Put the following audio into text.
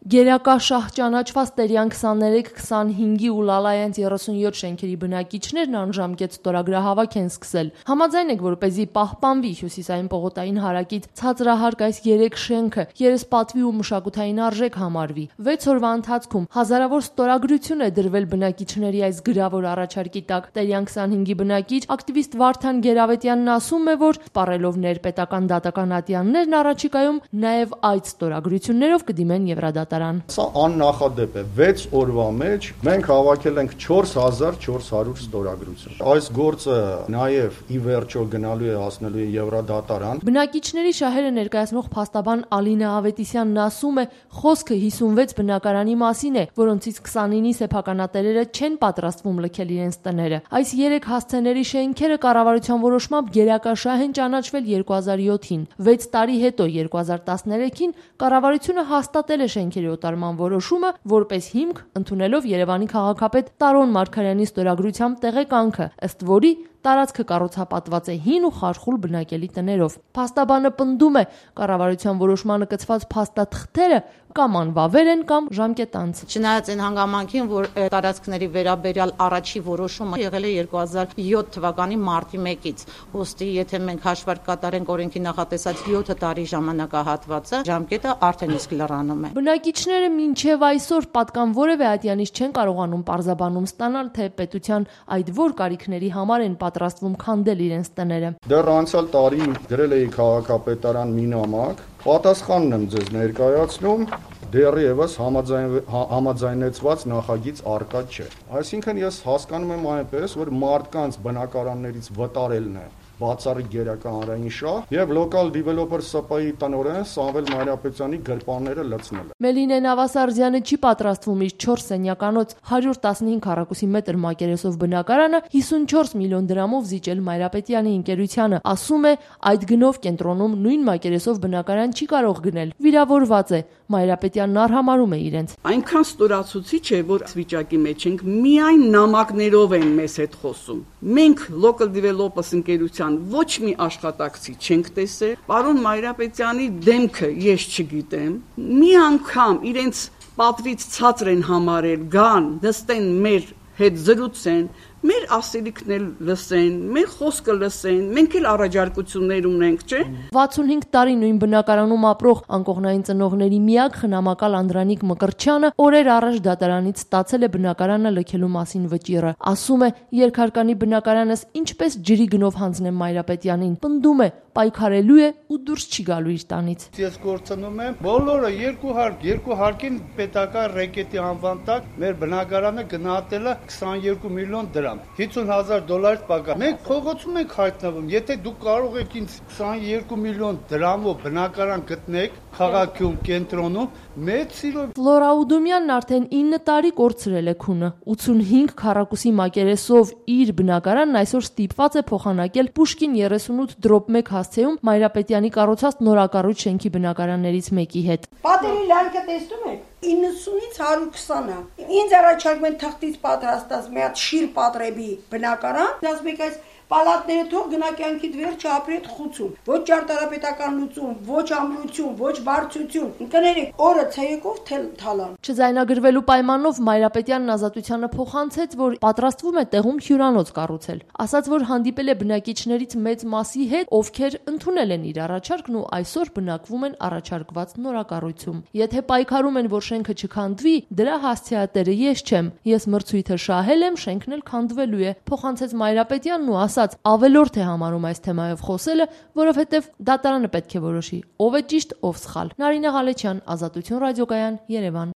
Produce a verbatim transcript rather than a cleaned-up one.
Գերակա շահ ճանաչված Տերյան քսաներեք քսանհինգի ու Լալայենց երեսունյոթ շենքերի բնակիչներն անժամկետ ստորագրահավաք են սկսել։ Համաձայն եք, որպեսզի պահպանվի հյուսիսային պողոտային հարակից ցածրահարկ այս երեք շենքը երեսպատվի ու մշակութային արժեք համարվի։ վեց օրվա ընթացքում հազարավոր ստորագրություն է դրվել բնակիչների այս գրավոր առաջարկի տակ։ Տերյան քսանհինգի բնակիչ ակտիվիստ Վարդան Գերավետյանն ասում է, որ սպառելով ներպետական դատական ատյաններն առաջիկայում նաև այդ ստորագրություններով կդիմեն Եվրադատարան։ Սա աննախադեպ է։ վեց օրվա մեջ մենք հավաքել ենք չորս հազար չորս հարյուր ստորագրություն։ Այս գործը նաև ի վերջո գնալու է հասնելու է Եվրադատարան։ Բնակիչների շահերը ներկայացնող փաստաբան Ալինա Ավետիսյանն ասում է, խոսքը հիսունվեց բնակարանի մասին է, որոնցից քսանինի սեփականատերերը չեն պատրաստվում լքել իրենց տները։ Այս երեք հասցեների շենքերը կառավարության որոշմամբ գերակա շահ են ճանաչվել երկու հազար յոթին։ վեց տարի հետո երկու հազար տասներեքին կառավարությունը հաստատել է շենքերի օտարման որոշումը որպես հիմք, ընդունելով Երևանի քաղաքապետ Տարոն Մարգարյանի ստորագրությամբ տեղեկանքը, ըստ որի տարածքը կառուցապատված է հին ու խարխուլ բնակելի տներով։ Փաստաբանը պնդում է, կառավարության որոշմանը կցված փաստաթղթերը կամ անվավեր են կամ ժամկետանց։ Չնայած այն հանգամանքին, որ տարածքների վերաբերյալ առաջի որոշումը եղել է երկու հազար յոթ թվականի մարտի մեկից, ուստի եթե մենք հաշվարկ կատարենք օրենքի նախատեսած յոթ տարի ժամանակահատվածը, ժամկետը արդեն իսկ լրանում է։ Բնակիչները մինչև այսօր պատկան որևէ ատյանից չեն կարողանում պարզաբանում ստանալ, թե պետության այդ որ կարիքների համար են պատրաստվում քանդել իրենց տները։ Դեռ անցյալ տարի գրել էի քաղաքապետարան մի նամակ, պատասխանն եմ ձեզ ներկայացնում, դեռևս համաձայն, համաձայնեցված նախագիծ առկա չէ։ Այսինքն ես հասկանում եմ այնպես, որ մարդկանց բնակարաններից վտարելն է բացառիկ գերակա հանրային շահ եւ local developer ՍՊ-ի տնօրեն Սամվել Մանրապետյանի գրպանները լցնել։ Մելինե Նավասարդյանը չի պատրաստվում իր չորս սենյականոց հարյուր տասնհինգ քառակուսի մետր մակերեսով բնակարանը հիսունչորս միլիոն դրամով զիջել Մայրապետյանի ընկերությանը։ Ասում է, այդ գնով կենտրոնում նույն մակերեսով բնակարան չի կարող գնել։ Վիրավորված է։ Մայրապետյանն արհամարում է իրենց։ Այնքան ստորացուցիչ է, որ վիճակի մեջ ենք, միայն նամակներով են մեզ հետ խոսում։ Մենք local developers ընկերության ոչ մի աշխատակցի չենք տեսել։ Պարոն Մայրապետյանի դեմքը ես չգիտեմ։ Մի անգամ իրենց պատվից ցածր են համարել, գան, նստեն մեր հետ զրուցեն, մեր ասելիքն էլ լսեն, մեր խոսքը լսեն, մենք էլ առաջարկություններ ունենք, չէ՞։ վաթսունհինգ տարի նույն բնակարանում ապրող անկողնային ծնողների միակ խնամակալ Անդրանիկ Մկրտչյանը օրեր առաջ դատարանից ստացել է բնակարանը լքելու մասին վճիռը։ Ասում է, երկհարկանի բնակարանս ինչպես ջրի գնով հանձնեմ Մայրապետյանին, պնդում է, պայքարելու է ու դուրս չի գալու իր տանից։ Ես գործնում եմ բոլորը երկու հարկ, երկու հարկին պետական ռեկետի անվան տակ մեր բնակարանը գնահատել է քսաներկու միլիոն դրամ, հիսուն հազար դոլարից պակաս։ Մենք փողոցում ենք հայտնվում, եթե դուք կարող եք ինձ քսաներկու միլիոն դրամով բնակարան գտնեք քաղաքում, կենտրոնում, մեծ սիրով։ Ֆլորա Ուդումյանն արդեն ինը տարի կորցրել է քունը։ ութսունհինգ քառակուսի մակերեսով իր բնակարանն այսօր ստիպված է փոխանակել Պուշկին երեսունութ դրոպ մեկ հասցեում Մայրապետյանի կառուցած նորակառույց շենքի բնակարաններից մեկի հետ։ Պատերի լայնքը տեսնում եք, իննսունից հարյուր քսանը։ Ինձ առաջարկում են թղթից պատրաստած մի հատ շիր պատրեբի բնակարան, ասում եք այս պալատները թող գնա կյանքի վերջը ապրի այդ խուցում։ Ոչ ճարտարապետական լուծում, ոչ ամրություն, ոչ բարձություն։ Ընկներեք, օրը ցեյեկով թալան։ Չձայնագրվելու պայմանով Մայրապետյանն Ազատությանը փոխանցեց, որ պատրաստվում է տեղում հյուրանոց կառուցել։ Ասաց, որ հանդիպել է բնակիչներից մեծ մասի հետ, ովքեր ընդունել են իր առաջարկն ու այսօր բնակվում են առաջարկված նորակառույցում։ Եթե պայքարում են, որ շենքը չքանդվի, դրա հասցեատերը ես չեմ։ Ես մրցույթը շահել եմ, շենքն էլ քանդվելու է, փոխանցեց Մայրապետյանն ու ասաց, ավելորդ է համարում այս թեմայով խոսելը, որովհետև դատարանը պետք է որոշի ով է ճիշտ, ով սխալ։ Նարինե Ղալեչյան, Ազատություն ռադիոկայան, Երևան։